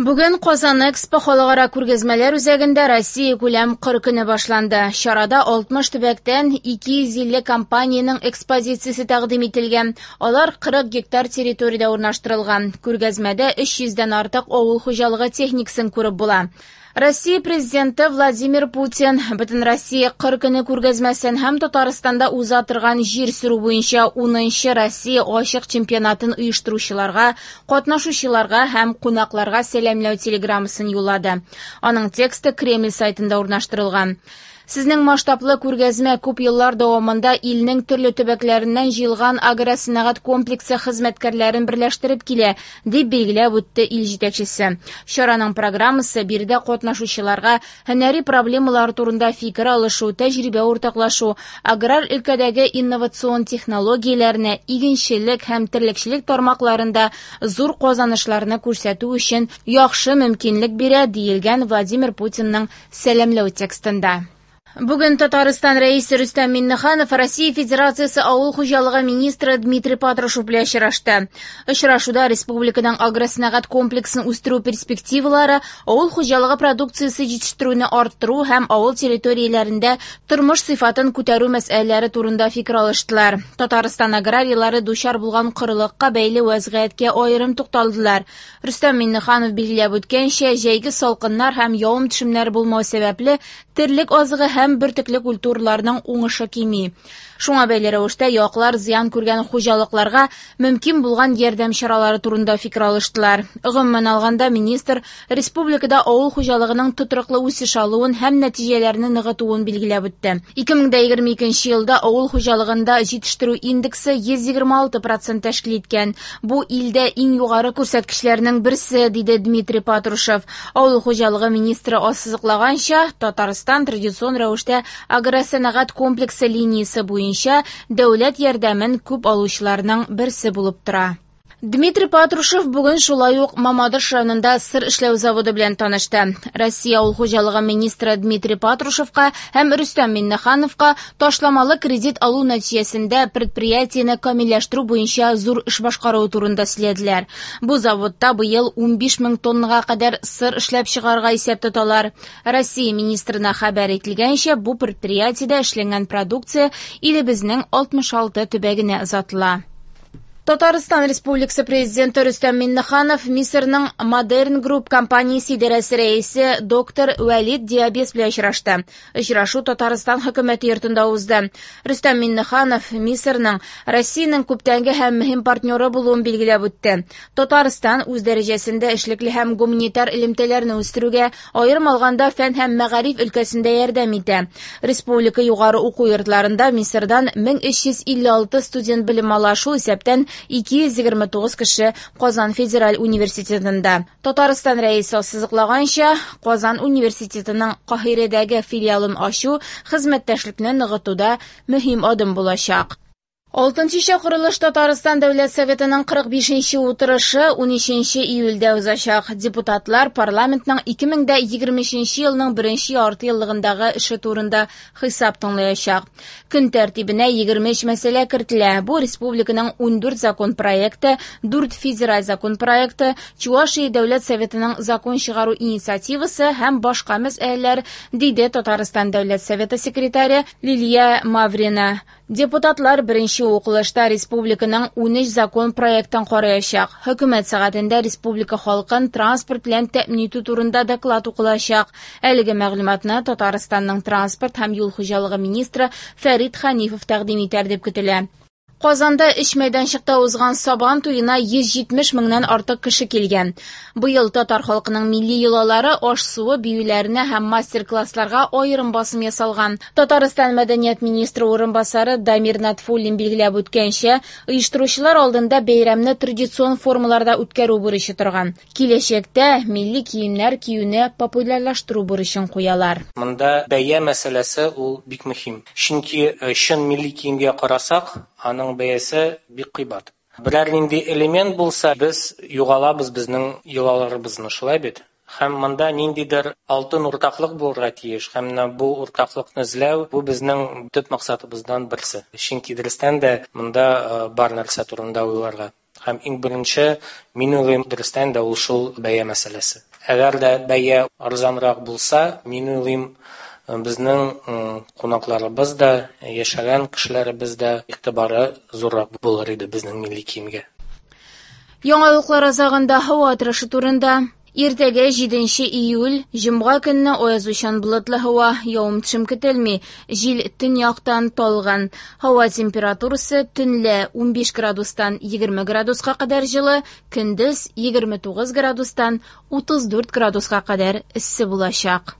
Бүген Казан Экспо халыкара күргәзмәләр үзәгендә Россия күләм кыр көне башланды. Чарада 60 төбәктән 250 компаниянең экспозициясе тәкъдим ителгән. Алар 40 гектар территориядә урнаштырылган. Күргәзмәдә 300 дән артык авыл хуҗалыгы техникасын күреп була. Россия Президенты Владимир Путин Бөтенроссия кыр көне күргәзмәсен һәм Татарстанда уза торган җир сөрү буенча 10нчы Россия ачык чемпионатын оештыручыларга, катнашучыларга һәм кунакларга сәламләү телеграммасын юллады. Аның тексты Кремль сайтында урнаштырылган. Сезнең масштаблы күргәзмә күп еллар дәвамында илнең төрле төбәкләреннән җыелган агросәнәгать комплексы хезмәткәрләрен берләштереп килә, дип билгеләп үтте ил җитәкчесе. Чараның программасы биредә катнашучыларга һөнәри проблемалар турында фикер алышу, тәҗрибә уртаклашу, аграр өлкәдәге инновацион технологияләрне, игенчелек һәм терлекчелек тармакларында зур казанышларны күрсәтү өчен яхшы мөмкинлек бирә, диелгән Владимир Путинның сәламләү текстында. Бүген Татарстан Рәисе Рөстәм Миңнеханов Россия Федерациясе Авыл хуҗалыгы министры Дмитрий Патрушев белән очрашты. Очрашуда республиканың агросәнәгать комплексын үстерү перспективалары, авыл хуҗалыгы продукциясе җитештерүне арттыру һәм авыл территорияләрендә тормыш сыйфатын күтәрү мәсьәләләре турында фикер алыштылар. Татарстан аграрийлары дучар булган корылыкка бәйле вәзгыятькә аерым тукталдылар. Рөстәм Миңнеханов билгеләп үткәнчә, җәйге салкыннар һәм явым-төшемнәр булмау сәбәпле, терлек азыгы һәм бөртекле культураларның уңышы кими. Шуңа бәйле рәвештә яклар зыян күргән хуҗалыкларга мөмкин булган ярдәм чаралары турында фикер алыштылар. Гомумән алганда, министр республикада авыл хуҗалыгының тотрыклы үсеш алуын һәм нәтиҗәләрне ныгытуын билгеләп үтте. 2022 елда авыл хуҗалыгында җитештерү индексы 126% тәшкил иткән. Бу илдә иң югары күрсәткечләрнең берсе, диде Дмитрий Патрушев. Авыл хуҗалыгы министры ассызыклаганча, Татарстан традицион рәвештә агросәнәгать комплексы линиясе буенча дәүләт ярдәмен күп алучыларның берсе булып тора. Дмитрий Патрушев бүген шулай ук Мамадыш районында сыр эшләү заводы белән танышты. Россия авыл хуҗалыгы министры Дмитрий Патрушевка һәм Рөстәм Миңнехановка ташламалы кредит алу нәтиҗәсендә предприятиене камилләштерү буенча зур эш башкаруы турында сөйләделәр. Бу заводта быел 15 мең тоннага кадәр сыр эшләп чыгарырга исәп тоталар. Россия министрына хәбәр ителгәнчә, бу предприятиедә эшләнгән продукция илебезнең 66 төбәгенә озатыла. Татарстан Республикасы Президенты Рөстәм Миңнеханов Мисырның Modern Group компаниясе идарәсе рәисе доктор Вәлид Диабес белән очрашты. Очрашу Татарстан хөкүмәте йортында узды. Рөстәм Миңнеханов Мисырның Россиянең күптәнге һәм мөһим партнеры булуын билгеләп үтте. Татарстан үз дәрәҗәсендә эшлекле һәм гуманитар элемтәләрне үстерүгә, аерым алганда фән һәм мәгариф өлкәсендә ярдәм итә. Республика югары уку йортларында Мисырдан 1356 студент белем ала, шул исәптән 229 кеше Казан федераль университетында. Татарстан рәисе ассызыклаганча, Казан университетының Каһирәдәге филиалын ачу хезмәттәшлекне ныгытуда мөһим адым булачак. Алтынчы чакырылыш Татарстан Дәүләт Советының 45нче утырышы 13 июльдә узачак. Депутатлар парламентның 2023 елның беренче ярты еллыгындагы эше турында хисап тыңлаячак. Көн тәртибенә 23 мәсьәлә кертелә. Бу республиканың 14 закон проекты, 4 федераль закон проекты, Чувашия Дәүләт Советының закон чыгару инициативасы һәм башка мәсьәләләр, диде Татарстан Дәүләт Советы секретаре Лилия Маврина. Депутатлар беренче укылышта республиканың 13 закон проектын караячак. Хөкүмәт сәгатендә республика халкын транспорт белән тәэмин итү турында доклад укылачак. Әлеге мәгълүматны Татарстанның транспорт һәм юл хуҗалыгы министры Фәрит Ханифов тәкъдим итәр дип көтелә. Казанда өч мәйданчыкта узган Сабан туена 170 меңнән артык кеше килгән. Быел татар халкының милли йолалары, аш-суы, биюләренә һәм мастер-классларга аерым басым ясалган. Татарстан мәдәният министры урынбасары Дамир Натфуллин билгеләп үткәнчә, оештыручылар алдында бәйрәмне традицион формаларда үткәрү бурычы торган. Киләчәктә милли киемнәр киюне популярлаштыру бурычын куялар. Монда бәя мәсьәләсе ул бик мөһим. Чөнки чын милли киемгә карасак, аның бәясе бик кыйбат. Берәр нинди элемент булса, без югалабыз безнең йолаларыбызны, шулай бит? Һәм монда ниндидер алтын уртаклык булырга тиеш, һәм менә бу уртаклыкны эзләү, бу безнең төп максатыбыздан берсе. Чөнки дөрестән дә монда бар нәрсә турында уйларга. Һәм иң беренче, мин уйлыйм, дөрестән дә ул шул бәя мәсьәләсе. Әгәр дә бәя арзанрак булса, мин уйлыйм, безнең кунакларыбыз да, яшәгән кешеләребез дә игътибары зуррак булыр иде безнең милли киемгә. Яңалыклар азагында һава торышы турында. Иртәгә 7 июль, җомга көнне аязучан болытлы һава, явым-төшем көтелми. Җил төньяктан талгын. Һава температурасы төнлә 15 градустан 20 градуска кадәр җылы, көндез 29 градустан 34 градуска кадәр эссе булачак.